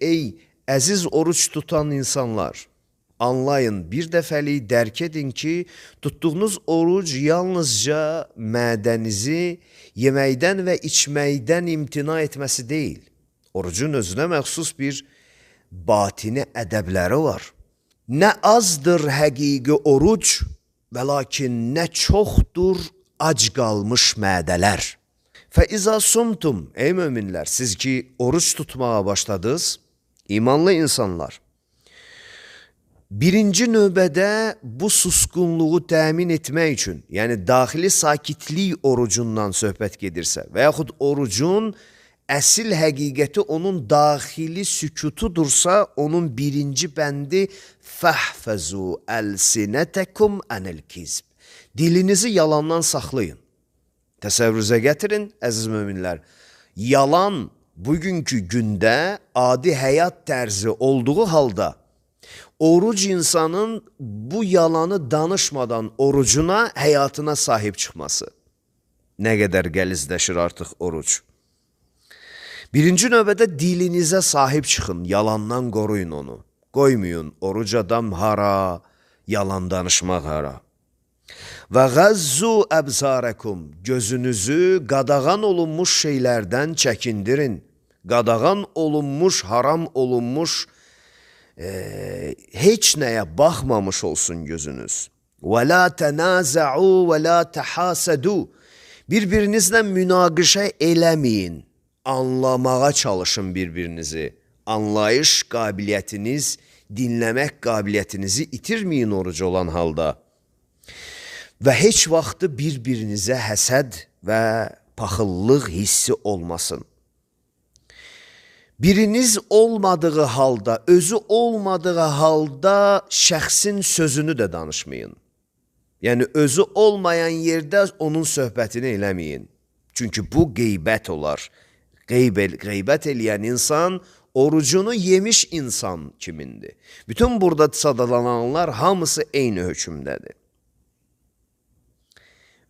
ey əziz oruç tutan insanlar, anlayın, bir dəfəlik dərk edin ki, tutduğunuz oruc yalnızca mədənizi yeməkdən və içməkdən imtina etməsi deyil. Orucun özünə məxsus bir batini ədəbləri var. Nə azdır həqiqi oruc, və lakin nə çoxdur ac qalmış mədələr. Fəizə sumtum, ey möminlər, siz ki oruç tutmağa başladınız, imanlı insanlar, birinci növbədə bu susqunluğu təmin etmək üçün, yəni daxili sakitlik orucundan söhbət gedirsə və yaxud orucun əsil həqiqəti onun daxili sükutudursa, onun birinci bəndi fəhfəzu əlsinətəkum ənil kizb. Dilinizi yalandan saxlayın. Təsəvvürünüzə gətirin, əziz möminlər, yalan bugünkü gündə adi həyat tərzi olduğu halda, oruc insanın bu yalanı danışmadan orucuna, həyatına sahib çıxması. Nə qədər gəlizləşir artıq oruc. Birinci növbədə dilinizə sahib çıxın, yalandan qoruyun onu. Qoymayın, oruc adam hara, yalan danışmaq hara. Və qəzzu əbsarəkum, gözünüzü qadağan olunmuş şeylərdən çəkindirin. Qadağan olunmuş, haram olunmuş, heç nəyə baxmamış olsun gözünüz. Və la tənazə'u və la təhasədu, bir-birinizlə münaqişə eləməyin, anlamağa çalışın bir-birinizi. Anlayış qabiliyyətiniz, dinləmək qabiliyyətinizi itirməyin oruc olan halda. Və heç vaxtı bir-birinizə həsəd və paxıllıq hissi olmasın. Biriniz olmadığı halda, özü olmadığı halda şəxsin sözünü də danışmayın. Yəni, özü olmayan yerdə onun söhbətini eləməyin. Çünki bu qeybət olar. Qeybət eləyən insan, orucunu yemiş insan kimindir? Bütün burada sadalananlar hamısı eyni hökmdədir.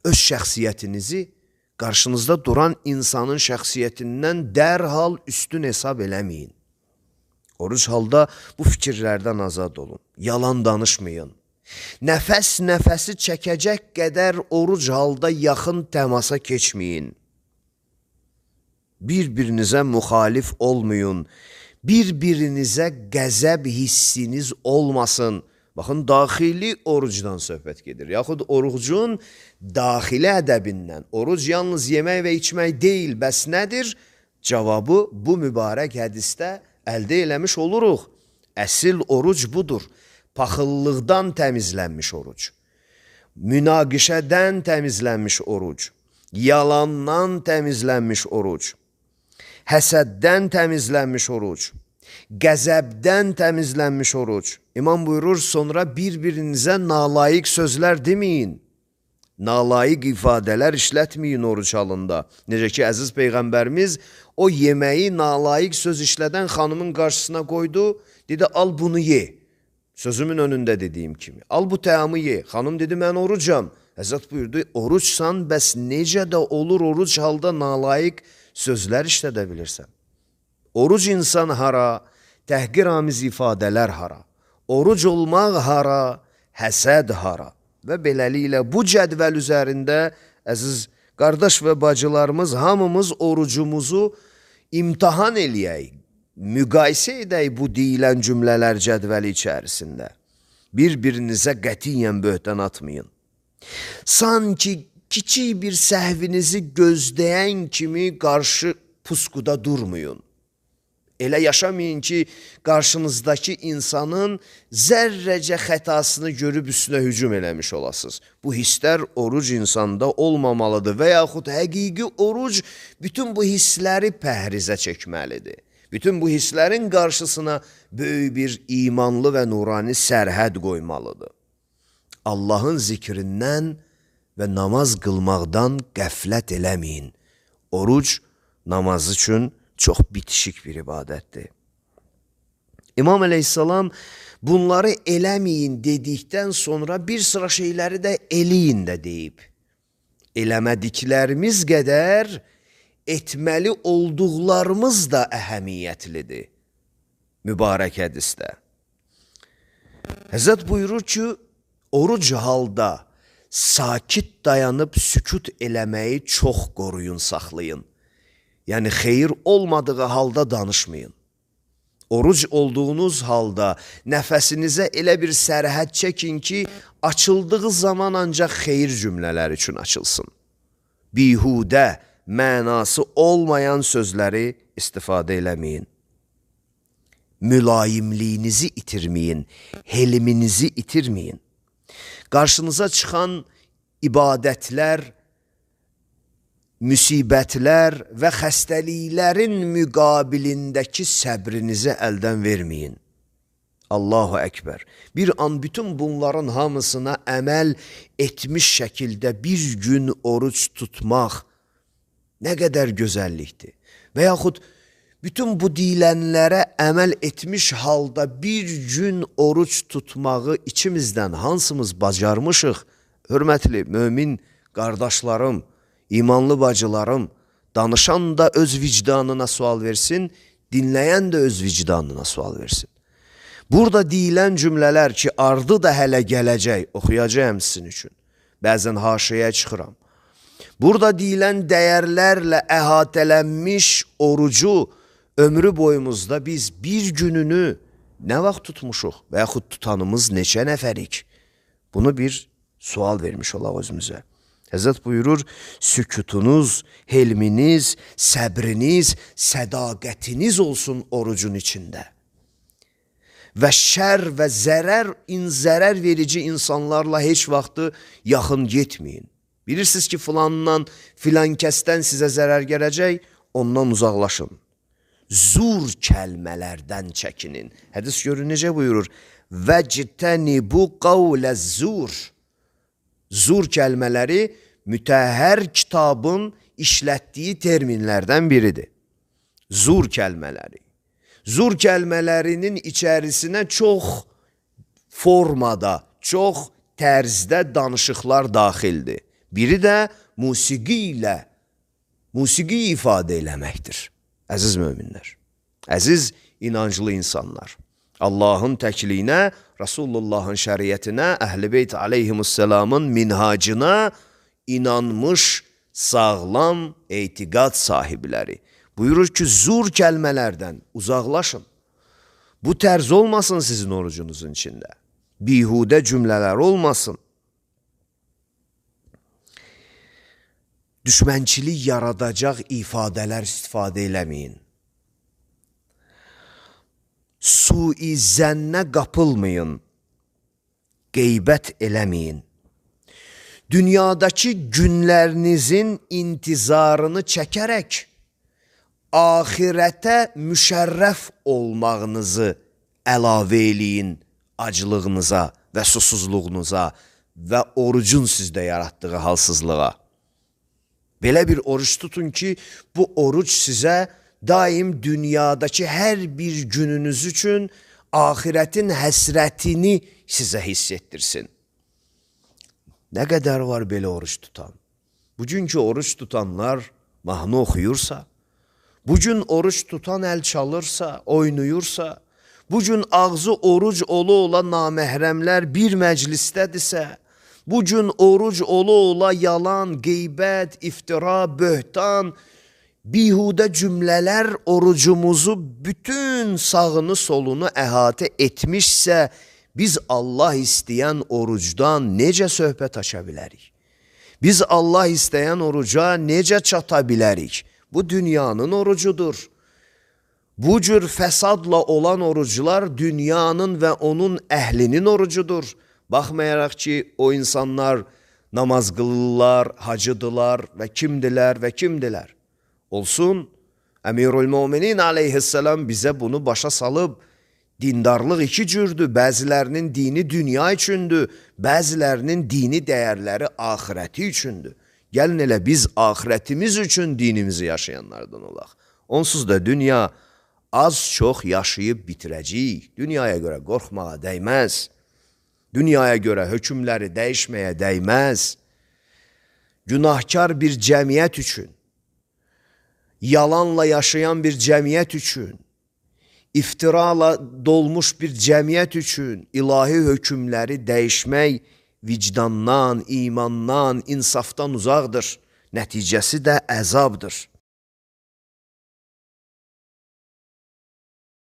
Öz şəxsiyyətinizi qarşınızda duran insanın şəxsiyyətindən dərhal üstün hesab eləməyin. Oruc halda bu fikirlərdən azad olun. Yalan danışmayın. Nəfəsi çəkəcək qədər oruc halda yaxın təmasa keçməyin. Bir-birinizə müxalif olmayın. Bir-birinizə qəzəb hissiniz olmasın. Baxın, daxili orucdan söhbət gedir. Yaxud orucun daxili ədəbindən. Oruc yalnız yemək və içmək deyil, bəs nədir? Cavabı bu mübarək hədisdə əldə eləmiş oluruq. Əsil oruc budur. Paxıllıqdan təmizlənmiş oruc. Münaqişədən təmizlənmiş oruc. Yalandan təmizlənmiş oruc. Həsəddən təmizlənmiş oruc. Qəzəbdən təmizlənmiş oruc. İmam buyurur, sonra bir-birinizə nalayiq sözlər deməyin. Nalayiq ifadələr işlətməyin oruc halında. Necə ki, əziz Peyğəmbərimiz o yeməyi nalayiq söz işlədən xanımın qarşısına qoydu, dedi, al bunu ye. Sözümün önündə dediyim kimi. Al bu təamı ye. Xanım dedi, mən orucam. Həzrət buyurdu, oruçsan, bəs necə də olur oruc halda nalayiq sözlər işlədə bilirsən? Oruc insan hara, təhqiramiz ifadələr hara, oruc olmaq hara, həsəd hara və beləliklə bu cədvəl üzərində əziz qardaş və bacılarımız hamımız orucumuzu imtahan eləyək, müqayisə edək bu deyilən cümlələr cədvəli içərisində. Bir-birinizə qətiyyən böhtən atmayın. Sanki kiçik bir səhvinizi gözləyən kimi qarşı puskuda durmayın. Elə yaşamayın ki, qarşınızdakı insanın zərrəcə xətasını görüb üstünə hücum eləmiş olasınız. Bu hisslər oruc insanda olmamalıdır və yaxud həqiqi oruc bütün bu hissləri pəhrizə çəkməlidir. Bütün bu hisslərin qarşısına böyük bir imanlı və nurani sərhəd qoymalıdır. Allahın zikrindən və namaz qılmaqdan qəflət eləməyin. Oruc namaz üçün çox bitişik bir ibadətdir. İmam əleyhissalam bunları eləməyin dedikdən sonra bir sıra şeyləri də eləyin də deyib. Eləmədiklərimiz qədər etməli olduqlarımız da əhəmiyyətlidir. mübarək hədisdə. Həzrət buyurur ki, oruc halda sakit dayanıb sükut eləməyi çox qoruyun, saxlayın. Yəni, xeyir olmadığı halda danışmayın. Oruc olduğunuz halda nəfəsinizə elə bir sərhəd çəkin ki, açıldığı zaman ancaq xeyir cümlələri üçün açılsın. Bihudə, mənası olmayan sözləri istifadə eləməyin. Mülayimliyinizi itirməyin, helminizi itirməyin. Qarşınıza çıxan ibadətlər, müsibətlər və xəstəliklərin müqabilindəki səbrinizi əldən verməyin. Allahu Əkbər. Bir an bütün bunların hamısına əməl etmiş şəkildə bir gün oruc tutmaq nə qədər gözəllikdir. Və yaxud bütün bu deyilənlərə əməl etmiş halda bir gün oruc tutmağı içimizdən hansımız bacarmışıq? Hörmətli mömin qardaşlarım, imanlı bacılarım, danışan da öz vicdanına sual versin, dinləyən də öz vicdanına sual versin. Burada deyilən cümlələr ki, ardı da hələ gələcək, oxuyacağım sizin üçün. Bəzən haşiyə çıxıram. Burada deyilən dəyərlərlə əhatələnmiş orucu ömrü boyumuzda biz bir gününü nə vaxt tutmuşuq və yaxud tutanımız neçə nəfərik? Bunu bir sual vermiş olaq özümüzə. Həzrət buyurur, sükutunuz, helminiz, səbriniz, sədaqətiniz olsun orucun içində. Və şər və zərər verici insanlarla heç vaxtı yaxın getməyin. Bilirsiniz ki, filan kəsdən sizə zərər gələcək, ondan uzaqlaşın. Zur kəlmələrdən çəkinin. Hədis görün necə buyurur? Vəctənibu qavləz zur. Zur kəlmələri mütəhhər kitabın işlətdiyi terminlərdən biridir. Zur kəlmələri. Zur kəlmələrinin içərisinə çox formada, çox tərzdə danışıqlar daxildir. Biri də musiqi ifadə eləməkdir. Əziz möminlər, əziz inanclı insanlar, Allahın təkliyinə, Rasulullahın şəriətinə, Əhl-i Beyt aleyhimussalamın minhacına inanmış sağlam etiqad sahibləri. Buyurur ki, zur kəlmələrdən uzaqlaşın. Bu tərz olmasın sizin orucunuzun içində. Bihudə cümlələr olmasın. Düşmənçilik yaradacaq ifadələr istifadə eləməyin. Sui zənnə qapılmayın. Qeybət eləməyin. Dünyadakı günlərinizin intizarını çəkərək axirətə müşərrəf olmağınızı əlavə eləyin aclığınıza və susuzluğunuza və orucun sizdə yaratdığı halsızlığa. Belə bir oruç tutun ki, bu oruc sizə daim dünyadakı hər bir gününüz üçün axirətin həsrətini sizə hiss etdirsin. Nə qədər var belə oruç tutan? Bugünkü oruç tutanlar mahnı oxuyursa, bugün oruç tutan əl çalırsa, oynuyursa, bugün ağzı oruc ola naməhrəmlər bir məclisdədirsə, bugün oruc ola yalan, qeybət, iftira, böhtan, bihudə cümlələr orucumuzu bütün sağını solunu əhatə etmişsə, biz Allah istəyən orucdan necə söhbət aça bilərik? Biz Allah istəyən oruca necə çata bilərik? Bu dünyanın orucudur. Bu cür fəsadla olan oruclar dünyanın və onun əhlinin orucudur. Baxmayaraq ki, o insanlar namaz qılırlar, hacıdılar və kimdilər. Olsun, Əmirül-Müminin aleyhisselam bizə bunu başa salıb, dindarlıq iki cürdür, bəzilərinin dini dünya üçündür, bəzilərinin dini dəyərləri axirəti üçündür. Gəlin elə biz axirətimiz üçün dinimizi yaşayanlardan olaq. Onsuz da dünya az-çox yaşayıb bitirəcəyik. Dünyaya görə qorxmağa dəyməz. Dünyaya görə hökmləri dəyişməyə dəyməz. Günahkar bir cəmiyyət üçün, yalanla yaşayan bir cəmiyyət üçün, İftirala dolmuş bir cəmiyyət üçün ilahi hökmləri dəyişmək vicdandan, imandan, insafdan uzaqdır. Nəticəsi də əzabdır.